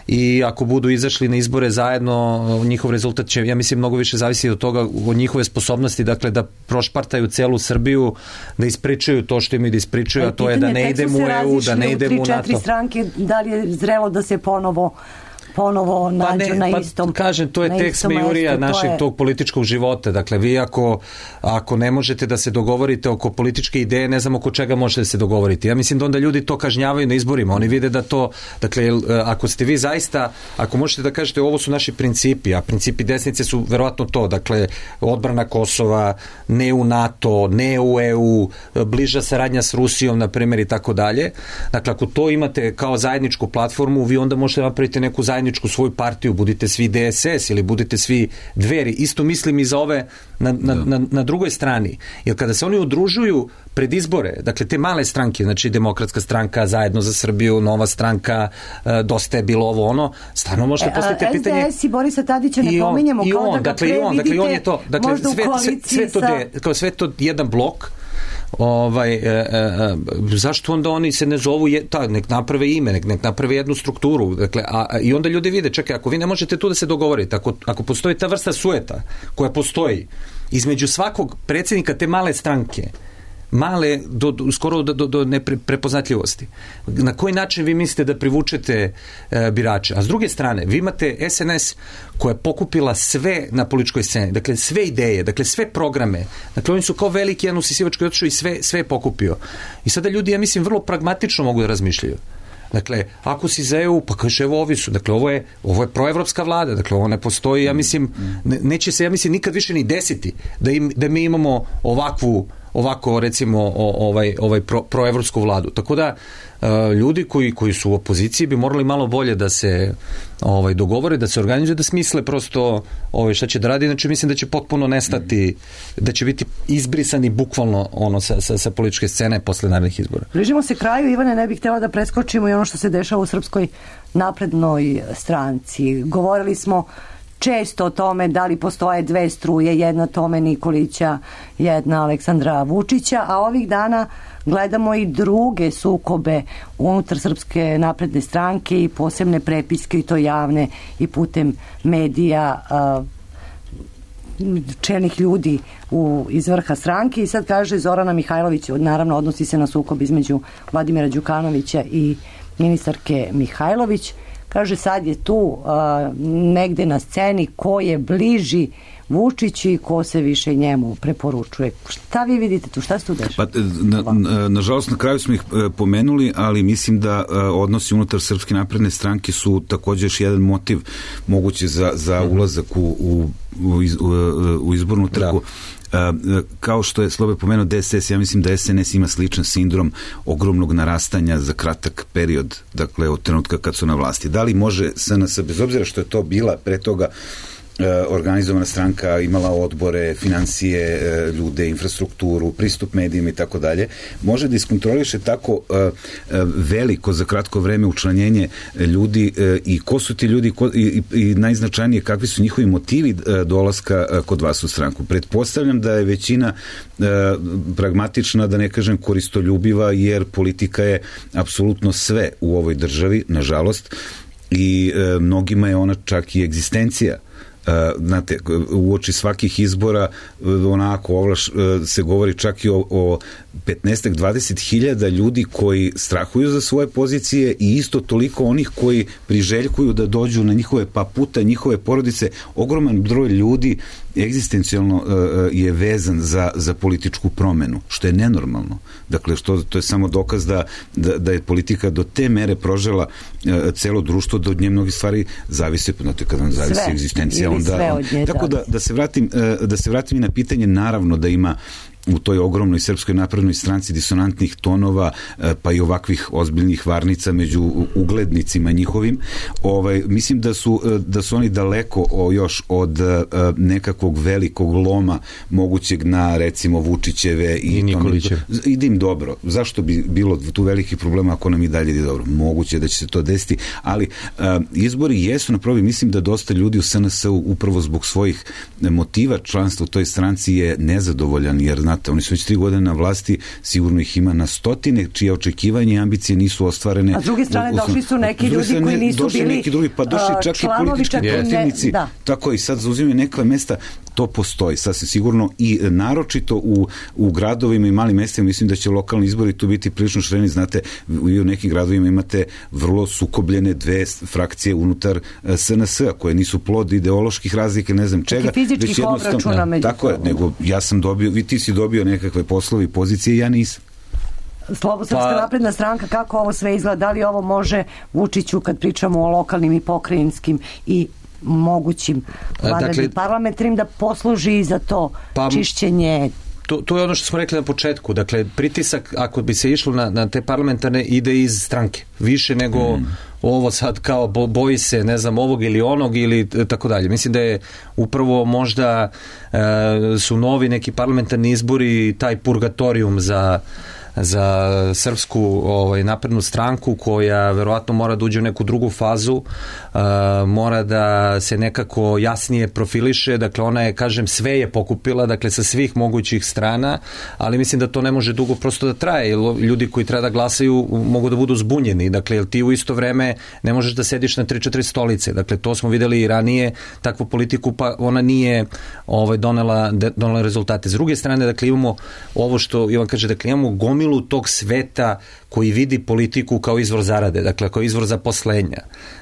i ako budu izašli na izbore zajedno, njihov rezultat će, ja mislim, mnogo više zavisi od toga, od njihove sposobnosti, dakle, da prošpartaju celu Srbiju, da ispričaju to što imaju da ispričaju, a to je da ne idemo u EU, da ne idemo u NATO. 3-4 stranke, da li je zrelo da se ponovo nađu na istom. Kažem, to je tek smejurija našeg tog političkog života. Dakle, vi ako ne možete da se dogovorite oko političke ideje, ne znam oko čega možete da se dogovoriti. Ja mislim da onda ljudi to kažnjavaju na izborima. Oni vide da to, dakle, ako ste vi zaista, ako možete da kažete ovo su naši principi, a principi desnice su verovatno to, dakle, odbrana Kosova, ne u NATO, ne u EU, bliža saradnja s Rusijom, na primjer, i tako dalje. Dakle, ako to imate kao zajedničku platformu, vi onda možete napraviti neku zajedničku svoju partiju, budite svi DSS ili budite svi Dveri. Isto mislim i za ove na drugoj strani. Jer kada se oni udružuju pred izbore, dakle te male stranke, znači Demokratska stranka, Zajedno za Srbiju, Nova stranka, Dosta je bilo ovo ono, stvarno možete postaviti pitanje. SDS i Borisa Tadića ne pominjemo kao da ga previdite, on je to, dakle, sve to jedan blok. Zašto onda oni se ne zovu, nek naprave ime, nek naprave jednu strukturu, dakle, i onda ljudi vide, čekaj, ako vi ne možete tu da se dogovorite, ako postoji ta vrsta sujeta koja postoji između svakog predsjednika te male stranke, male skoro do neprepoznatljivosti, na koji način vi mislite da privučete birače? A s druge strane, vi imate SNS koja je pokupila sve na političkoj sceni, dakle sve ideje, dakle sve programe, dakle oni su kao veliki jedan usisivački otišao i sve je pokupio. I sada ljudi, ja mislim, vrlo pragmatično mogu da razmišljaju. Dakle, ako si za EU, pa kaže, evo ovi su, dakle, ovo je proevropska vlada, dakle, ovo ne postoji, ja mislim, neće se, ja mislim, nikad više ni desiti da mi imamo ovako recimo proevropsku vladu. Tako da ljudi koji su u opoziciji bi morali malo bolje da se dogovore, da se organizuju, da smisle prosto šta će da radi, znači mislim da će potpuno nestati, da će biti izbrisani bukvalno sa političke scene posle narednih izbora. Bližimo se kraju, Ivane, ne bih htjela da preskočimo i ono što se dešava u Srpskoj naprednoj stranci. Govorili smo često o tome da li postoje dve struje, jedna Tome Nikolića, jedna Aleksandra Vučića, a ovih dana gledamo i druge sukobe unutar Srpske napredne stranke i posebne prepiske, i to javne i putem medija, čelnih ljudi iz vrha stranke. I sad kaže Zorana Mihajlović, naravno odnosi se na sukob između Vladimira Đukanovića i ministarke Mihajlović, kaže sad je tu negde na sceni ko je bliži Vučiću i ko se više njemu preporučuje. Šta vi vidite tu? Šta se tu dešava? Nažalost, na kraju smo ih pomenuli, ali mislim da odnosi unutar Srpske napredne stranke su također još jedan motiv moguće za ulazak u izbornu trku. Kao što je Slobe pomenuo DSS, ja mislim da SNS ima sličan sindrom ogromnog narastanja za kratak period, dakle od trenutka kad su na vlasti. Da li može SNS, bez obzira što je to bila pre toga organizovana stranka, imala odbore, financije, ljude, infrastrukturu, pristup medijima i tako dalje, može da iskontroliše tako veliko za kratko vreme učlanjenje ljudi i ko su ti ljudi i najznačajnije kakvi su njihovi motivi dolaska kod vas u stranku. Pretpostavljam da je većina pragmatična, da ne kažem koristoljubiva, jer politika je apsolutno sve u ovoj državi, nažalost, i mnogima je ona čak i egzistencija. Znate, uoči svakih izbora onako se govori čak i o 15-20 hiljada ljudi koji strahuju za svoje pozicije i isto toliko onih koji priželjkuju da dođu na njihove puta njihove porodice. Ogroman broj ljudi egzistencijalno je vezan za političku promenu, što je nenormalno. Dakle, to je samo dokaz da je politika do te mere prožela celo društvo, da od nje mnogi stvari zavise, znate, kada vam zavisi egzistencija, onda... Tako da se vratim i na pitanje, naravno da ima u toj ogromnoj Srpskoj naprednoj stranci disonantnih tonova, pa i ovakvih ozbiljnih varnica među uglednicima njihovim. Mislim da su oni daleko još od nekakvog velikog loma mogućeg na, recimo, Vučićeve i Nikolićeve. Ide im dobro. Zašto bi bilo tu velikih problema ako nam i dalje ide dobro? Moguće da će se to desiti, ali izbori jesu na probi. Mislim da dosta ljudi u SNS-u upravo zbog svojih motiva članstva u toj stranci je nezadovoljan, jer znate, oni su već 3 godine na vlasti, sigurno ih ima na stotine, čije očekivanje i ambicije nisu ostvarene. A s druge strane došli su neki ljudi koji nisu bili došli čak i politički protivnici. Tako i sad zauzimaju neka mesta, to postoji sasvim sigurno i naročito u gradovima i malim mestima. Mislim da će lokalni izbori tu biti prilično šireni. Znate, vi u nekim gradovima imate vrlo sukobljene dve frakcije unutar SNS-a koje nisu plod ideoloških razlika, ne znam čega. Fizičkih obračuna među. Tako je, nego ja sam dobio, ti si dobio nekakve poslovi, pozicije, ja nisam. Srpska napredna stranka, kako ovo sve izgleda? Da li ovo može Vučiću, kad pričamo o lokalnim i pokrajinskim i mogućim vanrednim parlamentarnim, da posluži za to čišćenje? To je ono što smo rekli na početku. Dakle, pritisak, ako bi se išlo na te parlamentarne, ide iz stranke. Više nego ovo sad kao boji se, ne znam, ovog ili onog ili tako dalje. Mislim da je upravo možda su novi neki parlamentarni izbori taj purgatorijum za Srpsku naprednu stranku, koja verovatno mora da uđe u neku drugu fazu, mora da se nekako jasnije profiliše. Dakle, ona je, kažem, sve je pokupila, dakle, sa svih mogućih strana, ali mislim da to ne može dugo prosto da traje, jer ljudi koji treba da glasaju mogu da budu zbunjeni. Dakle, jer ti u isto vreme ne možeš da sediš na 3-4 stolice. Dakle, to smo videli i ranije, takvu politiku, pa ona nije donela rezultate. S druge strane, dakle, imamo ovo što Ivan kaže, dakle, imamo gomilu gomilu tog sveta koji vidi politiku kao izvor zarade, dakle kao izvor zaposlenja.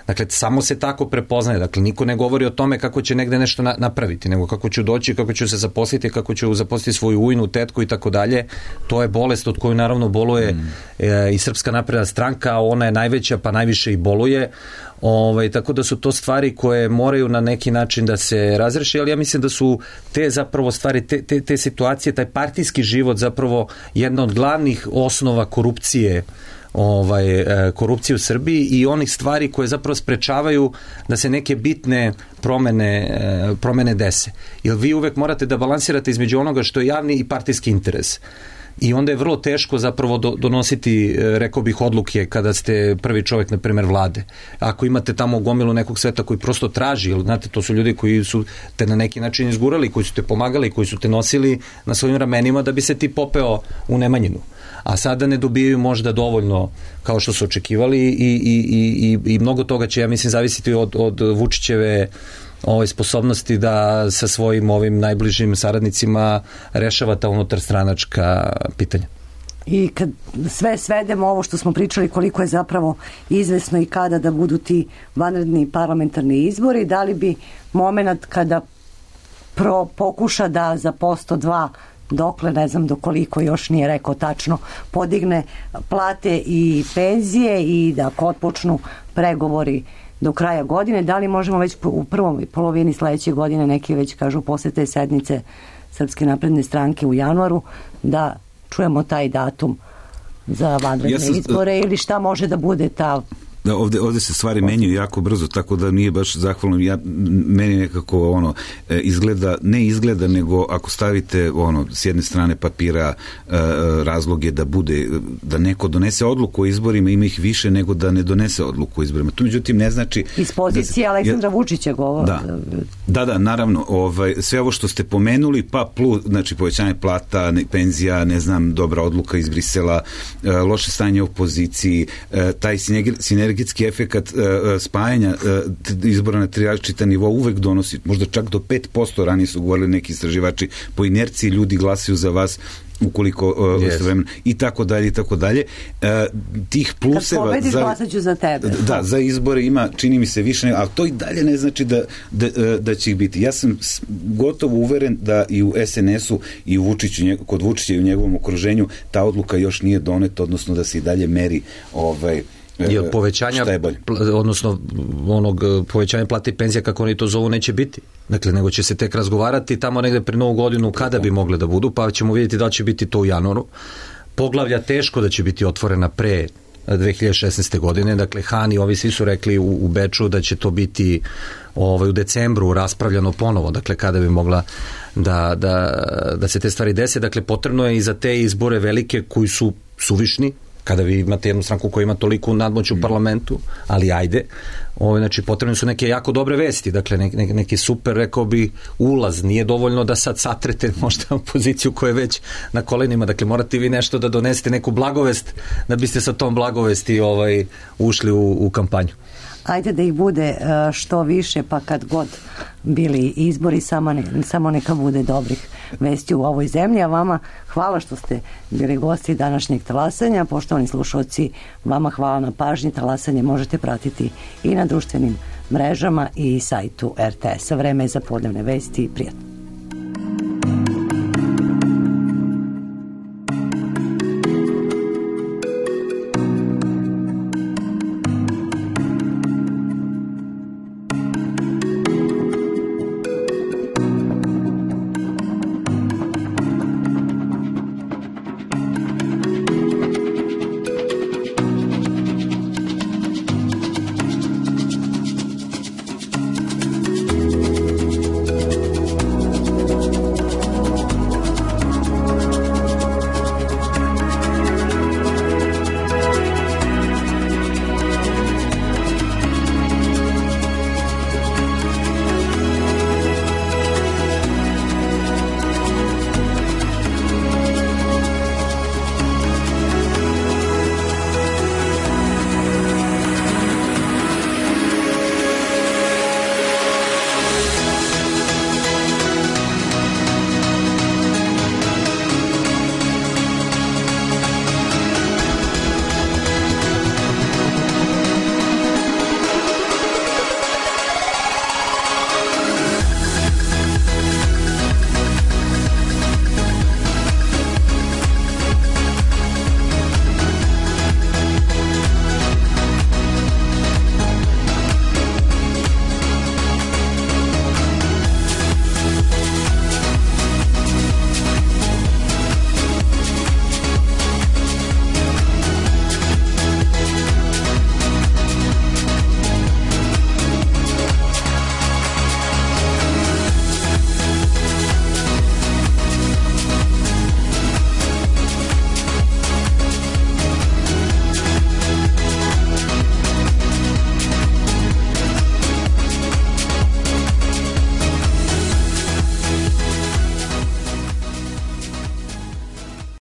Dakle, samo se tako prepoznaje. Dakle, niko ne govori o tome kako će negde nešto napraviti, nego kako ću doći, kako ću se zaposliti, kako ću zaposliti svoju ujnu, tetku i tako dalje. To je bolest od koju naravno boluje i Srpska napredna stranka, a ona je najveća pa najviše i boluje. Tako da su to stvari koje moraju na neki način da se razreši, ali ja mislim da su te zapravo stvari, te situacije, taj partijski život zapravo jedna od glavnih osnova korupcije u Srbiji i onih stvari koje zapravo sprečavaju da se neke bitne promene dese. Jer vi uvek morate da balansirate između onoga što je javni i partijski interes. I onda je vrlo teško zapravo donositi, rekao bih, odluke kada ste prvi čovjek, na primjer, vlade. Ako imate tamo gomilu nekog sveta koji prosto traži, jer znate, to su ljudi koji su te na neki način izgurali, koji su te pomagali, koji su te nosili na svojim ramenima da bi se ti popeo u nemanjinu. A sada ne dobijaju možda dovoljno kao što su očekivali i mnogo toga će, ja mislim, zavisiti od Vučićeve sposobnosti da sa svojim ovim najbližim saradnicima rešava ta unutarstranačka pitanja. I kad sve svedemo ovo što smo pričali, koliko je zapravo izvesno i kada da budu ti vanredni parlamentarni izbori, da li bi moment kada pokuša da za posto dva, dokle, ne znam do koliko, još nije rekao tačno, podigne plate i penzije i da otpočnu pregovori do kraja godine, da li možemo već u prvoj polovini sledeće godine, neki već kažu posle te sednice Srpske napredne stranke u januaru, da čujemo taj datum za vanredne izbore ili šta može da bude ta... Da, ovde se stvari menjaju jako brzo, tako da nije baš zahvalno. Meni nekako ne izgleda, nego ako stavite s jedne strane papira razloge da neko donese odluku o izborima, ima ih više nego da ne donese odluku o izborima. To međutim ne znači... Iz pozicije Aleksandra Vučića govori. Da, naravno. Sve ovo što ste pomenuli, pa plus, znači povećanje plata, penzija, ne znam, dobra odluka iz Brisela, loše stanje u opoziciji, taj sinergijski efekat spajanja izbora na tri različita nivoa uvek donosi, možda čak do 5%, ranije su govorili neki istraživači, po inerciji ljudi glasaju za vas ukoliko i tako dalje. Tih pluseva... Kad pobediš, glasaću za tebe. Da, za izbore ima, čini mi se više, ali to i dalje ne znači da će ih biti. Ja sam gotovo uveren da i u SNS-u i u kod Vučića i u njegovom okruženju ta odluka još nije doneta, odnosno da se i dalje meri povećanja, odnosno povećanja plata i penzija, kako oni to zovu, neće biti. Dakle, nego će se tek razgovarati tamo negde pre Novu godinu kada bi mogle da budu, pa ćemo vidjeti da će biti to u januaru. Poglavlja teško da će biti otvorena pre 2016. godine, dakle Han i ovi svi su rekli u Beču da će to biti u decembru raspravljano ponovo, dakle kada bi mogla da se te stvari dese. Dakle, potrebno je i za te izbore velike koji su suvišni, kada vi imate jednu stranku koja ima toliku nadmoć u parlamentu, ali ajde, znači potrebne su neke jako dobre vesti, dakle neki super, rekao bi, ulaz, nije dovoljno da sad satrete možda opoziciju koja je već na kolenima, dakle morate vi nešto da donesete, neku blagovest, da biste sa tom blagovesti ušli u kampanju. Ajde da ih bude što više, pa kad god bili izbori, samo neka bude dobrih vesti u ovoj zemlji. A vama hvala što ste bili gosti današnjeg talasanja. Poštovani slušalci, vama hvala na pažnji. Talasanje možete pratiti i na društvenim mrežama i sajtu RTS-a. Vreme je za podnevne vesti. Prijatno.